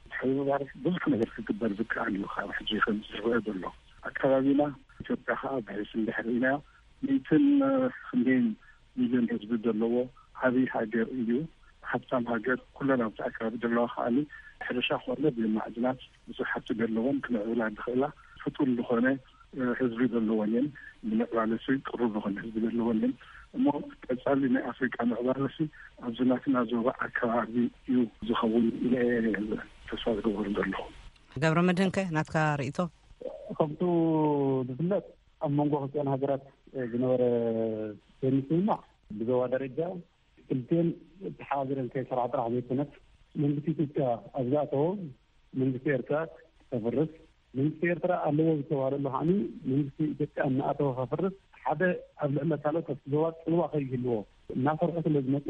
ምትሕብባር ብዙሕ ነገር ክግበር ዝከኣል እዩ። ካብ ሕጂ ከም ዝረአ ዘሎ ኣካባቢና ኢትዮጵያ ከዓ ብሕስ እንድሕር ኢና ሚትን ክንደይን ሚልዮን ህዝቢ ዘለዎ ዓብይ ሃገር እዩ። ሃብታም ሃገር ኩለን ኣብቲ ኣካባቢ ዘለዋ ከዓኒ ሕርሻ ኮነ ብማዕድናት ብዙሕ ሃብቲ ዘለወን ክምዕብላ ዝኽእላ ፍጡን ዝኾነ ህዝቢ ዘለወን እየን። ንምዕባለ ሲ ቅሩብ ዝኾነ ህዝቢ ዘለወን እየን እሞ ቀፃሊ ናይ ኣፍሪቃ ምዕባለ ሲ ኣብዚ ናትና ዞባ ኣካባቢ እዩ ዝኸውን ኢለ ተስፋ ዝገብር ዘለኹ። ገብረ መድህንከ ናትካ ርእቶ? ከምቱ ዝፍለጥ ኣብ መንጎ ክልቲኣን ሃገራት ዝነበረ ዘይምስምማዕ ብዞባ ደረጃ ክልቲኤን ተሓባቢረን ከይሰርሓ ጥራሕ ዘይኮነስ መንግስቲ ኢትዮጵያ ኣብ ዝኣተዎ መንግስቲ ኤርትራ ከፍርስ መንግስቲ ኤርትራ ኣለዎ ዝተባህለሉ ከዓኒ መንግስቲ ኢትዮጵያ እናኣተወ ከፍርስ ሓደ ኣብ ልዕሊ ካልኦት ኣብቲ ዞባ ፅልዋ ከይህልዎ እናሰርሑ ስለ ዝመፁ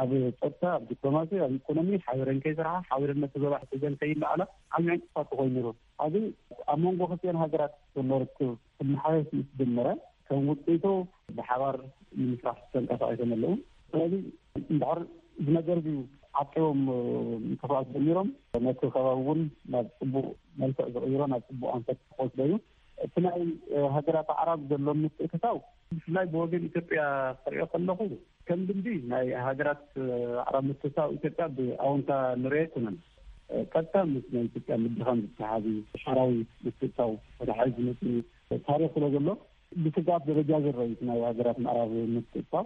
ኣብ ፀጥታ ኣብ ዲፕሎማሲ ኣብ ኢኮኖሚ ሓቢረን ከይሰርሓ ሓቢረን ነቲ ዞባ ሕተዘን ከይለዓላ ዓብዪ ዕንቅፋት ኮይኑ ነይሩ። ኣብዚ ኣብ መንጎ ክልቲኤን ሃገራት ዘሎ ርክብ ክመሓየሽ ምስ ጀመረ ከም ውፅኢቱ ብሓባር ንምስራሕ ተንቀሳቒሶም ኣለዉ። ስለዚ እንድሕር እዚ ነገር እዚ ዓቂቦም ምንቅስቃስ ጀሚሮም ነቲ ከባቢ እውን ናብ ፅቡቅ መልክዕ ዝቕይሮ ናብ ፅቡቅ ኣንፈት ክወስዶ እዩ። እቲ ናይ ሃገራት ኣዕራብ ዘሎ ምትእትታው ብፍላይ ብወገን ኢትዮጵያ ክሪኦ ከለኹ ከም ልምዲ ናይ ሃገራት ኣዕራብ ምትእትታው ኢትዮጵያ ብኣወንታ ንሪኦ ኣይኮነን። ቀጥታ ምስ ናይ ኢትዮጵያ ምድኻም ዝተሓሓዝ እዩ። ሓራዊ ምትእትታው ወደ ሓይል ዝመፅእ ታሪክ ስለ ዘሎ ብስግኣት ደረጃ ዝረአ እዩ ናይ ሃገራት ምዕራብ ምትእትታው።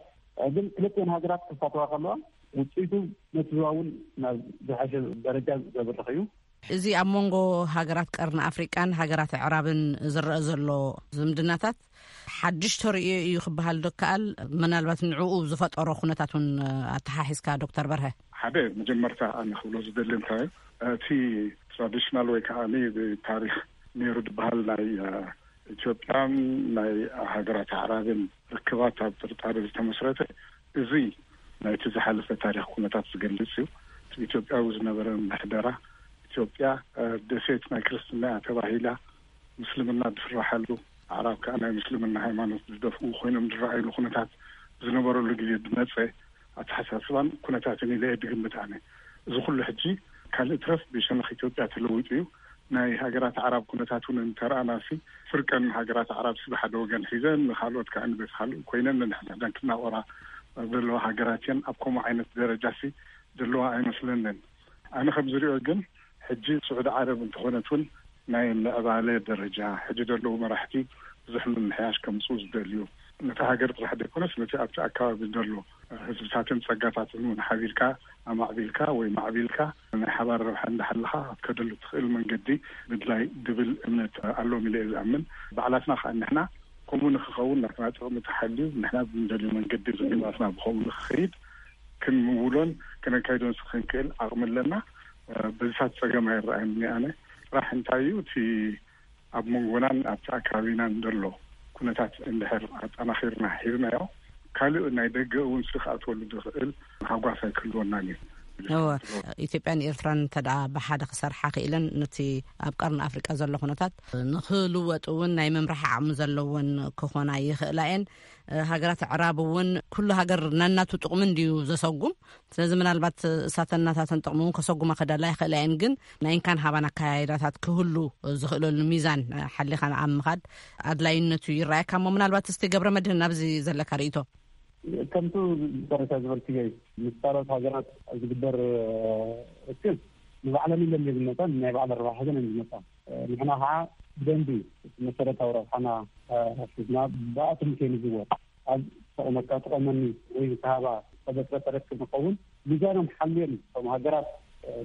ግን ክልቲኤን ሃገራት ክሳተፋ ከለዋ ውፅኢቱ ነቲ ዞባ እውን ናብ ዝሓሸ ደረጃ ዘብርኽ እዩ። እዚ ኣብ መንጎ ሃገራት ቀርኒ ኣፍሪቃን ሃገራት ኣዕራብን ዝረአ ዘሎ ዝምድናታት ሓድሽ ተርእዮ እዩ ክበሃል ዶ ከኣል? ምናልባት ንዕኡ ዝፈጠሮ ኩነታት እውን ኣተሓሒዝካ ዶክተር በርሀ። ሓደ መጀመርታ ኣነ ክብሎ ዝደሊ እንታይ እቲ ትራዲሽናል ወይ ከዓ ብታሪክ ነይሩ ዝበሃል ናይ ኢትዮጵያን ናይ ሃገራት ኣዕራብን ርክባት ኣብ ጥርጣሬ ዝተመስረተ፣ እዚ ናይቲ ዝሓለፈ ታሪክ ኩነታት ዝገልጽ እዩ። ኢትዮጵያዊ ዝነበረ ምሕደራ፣ ኢትዮጵያ ደሴት ናይ ክርስትና እያ ተባሂላ፣ ምስልምና ዝፍራሓሉ፣ ኣዕራብ ከዓ ናይ ምስልምና ሃይማኖት ዝደፍኡ ኮይኖም ዝረኣይሉ ኩነታት ዝነበረሉ ግዜ ዝመፀ ኣተሓሳስባን ኩነታትን ኢለ እየ ዝግምት ኣነ። እዚ ኩሉ ሕጂ ካልእ ትረፍ ብሸነኽ ኢትዮጵያ ተለዊጡ እዩ። ናይ ሃገራት ኣዕራብ ኩነታት እውን እንተረኣናሲ፣ ፍርቀን ሃገራት ኣዕራብ ሲ ብሓደ ወገን ሒዘን፣ ንካልኦት ከዓ ንቤት ካልእ ኮይነን ንሕድሕደን ክናቆራ ዘለዋ ሃገራት እየን። ኣብ ከምኡ ዓይነት ደረጃ ሲ ዘለዋ ኣይመስለንን። ኣነ ከም ዝሪኦ ግን ሕጂ ስዑዲ ዓረብ እንተኾነት እውን ናይ ምዕባለ ደረጃ ሕጂ ዘለዉ መራሕቲ ብዙሕ ምምሕያሽ ከምፅኡ ዝደልዩ፣ ነቲ ሃገር ጥራሕ ዘይኮነስ ነቲ ኣብቲ ኣካባቢ ዘሎ ህዝብታትን ፀጋታትን እውን ሓቢርካ ኣማዕቢልካ ወይ ማዕቢልካ ናይ ሓባር ረብሓ እንዳሓለኻ ክትከደሉ ትኽእል መንገዲ ምድላይ ዝብል እምነት ኣሎም ኢለ እየ ዝኣምን። ባዕላትና ከዓ ንሕና ከምኡ ንክኸውን ናትና ጥቕሚ ተሓልዩ ንሕና ብንደልዩ መንገዲ ርክባትና ብከምኡ ንክኸይድ ክንምውሎን ክነካይዶን ክንክእል ዓቕሚ ኣለና። በዚታት ፀገም ኣይረኣየኒ ኣነ። ጥራሕ እንታይ እዩ እቲ ኣብ መንጎናን ኣብቲ ኣካባቢናን ዘሎ ኩነታት እንድሕር ኣጠናኺርና ሂብናዮ፣ ካልእ ናይ ደገ እውን ሲ ክኣትወሉ ዝኽእል ሃጓፍ ኣይክህልወናን እዩ። እወ፣ ኢትዮጵያን ኤርትራን እንተ ደኣ ብሓደ ክሰርሓ ክኢለን፣ ነቲ ኣብ ቀርኒ ኣፍሪቃ ዘሎ ኩነታት ንክልወጥ እውን ናይ ምምራሕ ዓቕሚ ዘለወን ክኾና ይኽእላ እየን። ሃገራት ኣዕራብ እውን ኩሉ ሃገር ነናቱ ጥቕሚ እንድዩ ዘሰጉም። ስለዚ ምናልባት እሳተን ናታተን ጥቕሚ እውን ከሰጉማ ክደላ ይኽእላ እየን። ግን ናይ እንካን ሃባን ኣካያይዳታት ክህሉ ዝኽእለሉ ሚዛን ሓሊኻ ኣብ ምኻድ ኣድላይነቱ ይረኣየካ። እሞ ምናልባት እስቲ ገብረ መድህን ኣብዚ ዘለካ ርእይቶ። ከምቱ መጨረሻ ዝበልክዮ እዩ። ምስ ካልኦት ሃገራት ዝግበር ርክብ ንባዕለን ኢለን ዘይዝመፃ ናይ ባዕለን ረብሓ ሒዘን እየን ዝመፃ። ንሕና ከዓ ብደንቢ መሰረታዊ ረብሓና ሒዝና ብኣቶም ከይንዝወር ኣብ ተቐመካ ተቐመኒ ወይ ዝተሃባ ተበስረ ተረክብ ንኸውን ሚዛኖም ሓልዮም እቶም ሃገራት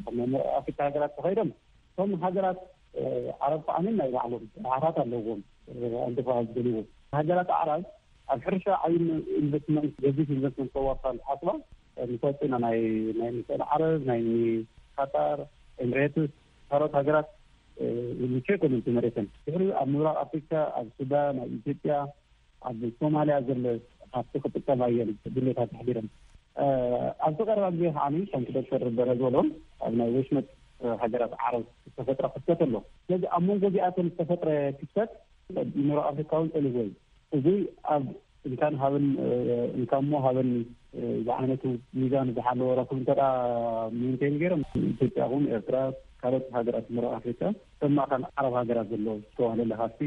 ከም ኣፍሪካ ሃገራት ተኸይዶም እቶም ሃገራት ዓረብ ከዓ ናይ ባዕሎም ረብሓታት ኣለዎም። ኣንተፋ ዝደልዎ ሃገራት ዓረብ ኣብ ሕርሻ ዓብዪ ኢንቨስትመንት ገዚፍ ኢንቨስትመንት ከዋፍራ ዝሓስባ ንፈልጦ ኢና። ናይ ናይ ምስራቅ ዓረብ ናይ ቃጣር ኤምሬትስ ካልኦት ሃገራት ምቹ ኣይኮነን እቲ መሬተን። ድሕሪኡ ኣብ ምብራቅ ኣፍሪካ ኣብ ሱዳን ኣብ ኢትዮጵያ ኣብ ሶማልያ ዘሎ ሃፍቲ ክጥቀማ እየን ድሌታት ኣሕዲረን። ኣብዚ ቀረባ ግዜ ከዓ ከምቲ ዶክተር በረ ዝበሎ ኣብ ናይ ወሽመጥ ሃገራት ዓረብ ዝተፈጥረ ክፍተት ኣሎ። ስለዚ ኣብ መንጎ እዚኣተን ዝተፈጥረ ክፍተት ምብራቅ ኣፍሪካ እውን ፀሊዎ እዩ። እዚ ኣብ እንካን ሃብን እንካሞ ሃበኒ ዝዓይነቱ ሚዛን ዝሓለወ ረክብ እንተ ሜንቴን ገይሮም ኢትዮጵያ ኹን ኤርትራ ካልኦት ሃገራት ምብራቅ ኣፍሪካ ከም ማእኸል ዓረብ ሃገራት ዘሎ ዝተዋህለለ ሃፍቲ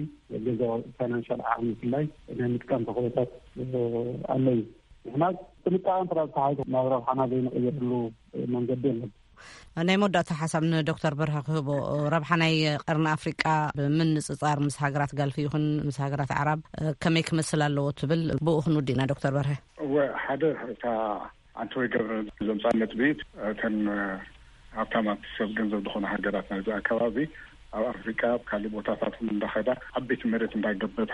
ገዛ ፋይናንሻል ዓቕሚ ብፍላይ ናይ ምጥቃም ተኽእሎታት ኣለዩ። ንሕና ጥንቃቐን ጥራይ ተሓይዞ ናብ ረብሓና ዘይንቕይርሉ መንገዲ የለን። ናይ መወዳእታ ሓሳብ ንዶክተር በርሀ ክህቦ፣ ረብሓ ናይ ቀርኒ ኣፍሪቃ ብምንጽጻር ምስ ሃገራት ጋልፊ ይኹን ምስ ሃገራት ኣዕራብ ከመይ ክመስል ኣለዎ ትብል? ብኡ ክንውድእ ኢና ዶክተር በርሀ። እወ፣ ሓደ እታ ኣንተ ወይ ገብረ ዘምፃ ነጥቢ፣ እተን ሃብታማት ሰብ ገንዘብ ዝኾነ ሃገራት ናይዚ ኣካባቢ ኣብ ኣፍሪቃ ኣብ ካልእ ቦታታት እውን እንዳኸዳ ዓበይቲ መሬት እንዳገበታ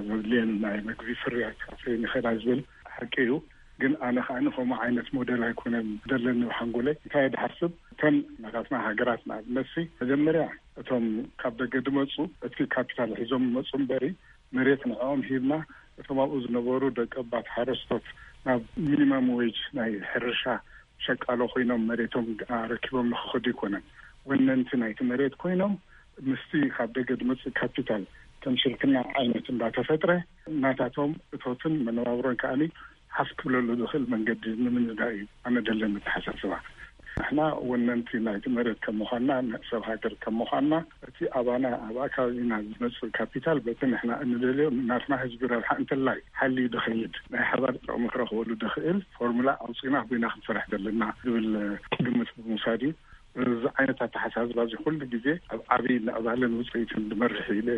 ዘድልየን ናይ መግቢ ፍርያት ኣፍርየን ይኸዳ ዝብል ሓቂ እዩ። ግን ኣነ ከዓ ንከምኡ ዓይነት ሞዴል ኣይኮነን ዘለኒ ብሓንጎለይ። እንታይ ድሓስብ እተን ናታትና ሃገራት ንኣብነትሲ መጀመርያ እቶም ካብ ደገ ድመፁ እቲ ካፒታል ሒዞም ይመፁ እምበሪ መሬት ንዕኦም ሂብና እቶም ኣብኡ ዝነበሩ ደቂ ባት ሓረስቶት ናብ ሚኒመም ዌጅ ናይ ሕርሻ ሸቃሎ ኮይኖም መሬቶም ኣረኪቦም ንክኸዱ ኣይኮነን። ወነንቲ ናይቲ መሬት ኮይኖም ምስቲ ካብ ደገ ዝመፅእ ካፒታል ከም ሽርክና ዓይነት እንዳተፈጥረ ናታቶም እቶትን መነባብሮን ከዓኒ ሓፍ ክብለሉ ዝኽእል መንገዲ ንምንዳእ እዩ ኣነ ደለኒ ኣተሓሳስባ። ንሕና ወነንቲ ናይቲ መሬት ከም ምዃንና ሰብ ሃገር ከም ምዃንና እቲ ኣባና ኣብ ኣካባቢና ዝመፅእ ካፒታል በቲ ንሕና እንደልዮ ናትና ህዝቢ ረብሓ እንተላይ ሓልዩ ዝኸይድ ናይ ሓባር ጥቕሚ ክረኽበሉ ዝኽእል ፎርሙላ ኣውፂና ኮይና ክንሰርሕ ዘለና ዝብል ግምት ብምውሳድ እዩ። እዚ ዓይነት ኣተሓሳስባ እዚ ኩሉ ግዜ ኣብ ዓብዪ ምዕባለን ውፅኢትን ዝመርሕ ኢለ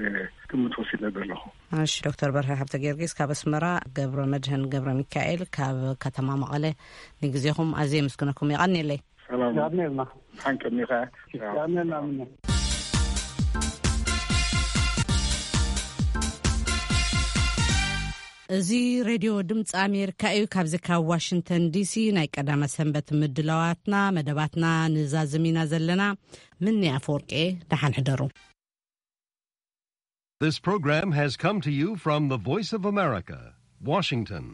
ግምት ወሲደ ዘለኹ። እሺ ዶክተር በርሀ ሃብተ ጊዮርጊስ ካብ ኣስመራ፣ ገብረ መድህን ገብረ ሚካኤል ካብ ከተማ መቐለ ንግዜኹም ኣዝየ የመስግነኩም። የቐንየለይ። ሰላም። ያድኔልና። ሓንቀኒኻ። ያድኔልና ምነ። እዚ ሬድዮ ድምፂ ኣሜሪካ እዩ። ካብዚ ካብ ዋሽንግተን ዲሲ ናይ ቀዳመ ሰንበት ምድላዋትና፣ መደባትና ንዛዝም ኢና ዘለና። ምኒ ኣፈወርቄ፣ ደሓን ሕደሩ። This program has come to you from the Voice of America, Washington.